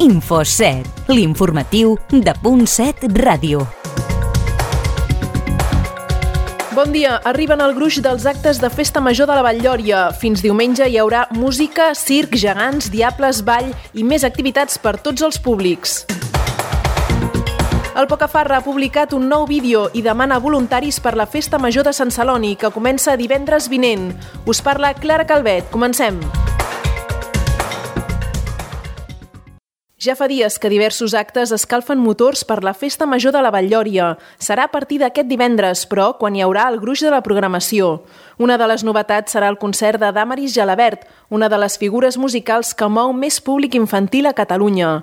Info7, l'informatiu de .7 Ràdio. Bon dia, arriben al gruix dels actes de Festa Major de la Vall-lloria. Fins diumenge hi haurà música, circ, gegants, diables, ball i més activitats per tots els públics. El Pocafarra ha publicat un nou vídeo i demana voluntaris per la Festa Major de Sant Celoni, que comença divendres vinent. Us parla Clara Calvet. Comencem. Ja fa dies que diversos actes escalfen motors per la Festa Major de la Vall-lloria. Serà a partir d'aquest divendres, però, quan hi haurà el gruix de la programació. Una de les novetats serà el concert de Damaris Gelabert, una de les figures musicals que mou més públic infantil a Catalunya.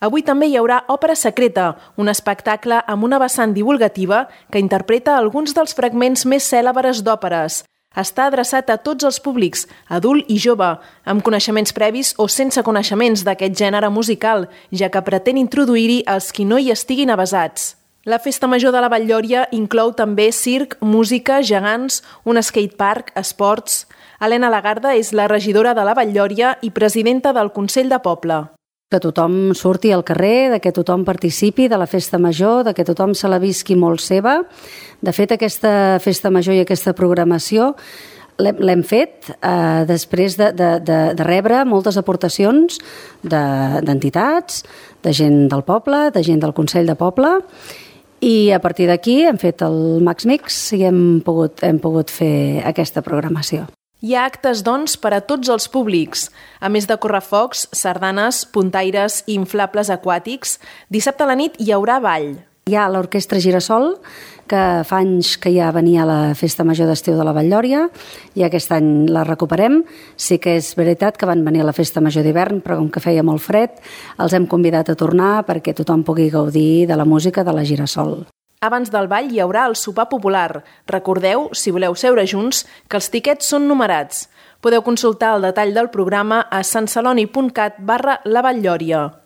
Avui també hi haurà Òpera Secreta, un espectacle amb una vessant divulgativa que interpreta alguns dels fragments més cèlebres d'òperes. Està adreçat a tots els públics, adult i jove, amb coneixements previs o sense coneixements d'aquest gènere musical, ja que pretén introduir-hi els qui no hi estiguin avesats. La Festa Major de la Vall-lloria inclou també circ, música, gegants, un skatepark, esports. Helena Lagarda és la regidora de la Vall-lloria i presidenta del Consell de Poble. Que tothom surti al carrer, que tothom participi de la Festa Major, que tothom se la visqui molt seva. De fet, aquesta Festa Major i aquesta programació l'hem fet després de rebre moltes aportacions d'entitats, de gent del poble, de gent del Consell de Poble, i a partir d'aquí hem fet el Max Mix i hem pogut fer aquesta programació. Hi ha actes, doncs, per a tots els públics. A més de correfocs, sardanes, puntaires i inflables aquàtics, dissabte a la nit hi haurà ball. Hi ha l'Orquestra Girasol, que fa anys que ja venia a la Festa Major d'Estiu de la Vall-lloria, i aquest any la recuperem. Sí que és veritat que van venir a la Festa Major d'hivern, però com que feia molt fred, els hem convidat a tornar perquè tothom pugui gaudir de la música de la Girasol. Abans del ball hi haurà el sopar popular. Recordeu, si voleu seure junts, que els tiquets són numerats. Podeu consultar el detall del programa a santceloni.cat/lavall-lloria.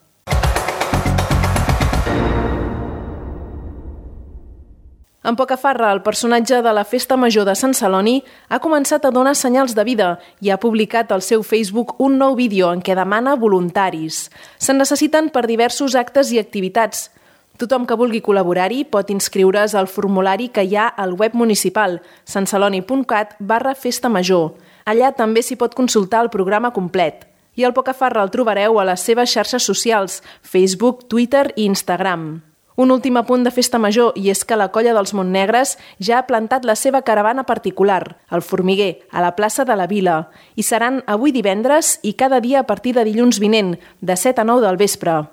En Pocafarra, el personatge de la Festa Major de Sant Celoni ha començat a donar senyals de vida i ha publicat al seu Facebook un nou vídeo en què demana voluntaris. Se'n necessiten per diversos actes i activitats. Tothom que vulgui col·laborar-hi pot inscriure's al formulari que hi ha al web municipal santceloni.cat/festamajor. Allà també s'hi pot consultar el programa complet. I el Pocafarra el trobareu a les seves xarxes socials, Facebook, Twitter i Instagram. Un últim apunt de Festa Major, i és que la Colla dels Montnegres ja ha plantat la seva caravana particular, el Formiguer, a la plaça de la Vila. Hi seran avui divendres i cada dia a partir de dilluns vinent, de 7 a 9 del vespre.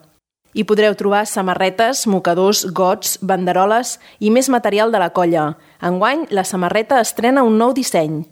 Hi podreu trobar samarretes, mocadors, gots, banderoles i més material de la colla. Enguany, la samarreta estrena un nou disseny.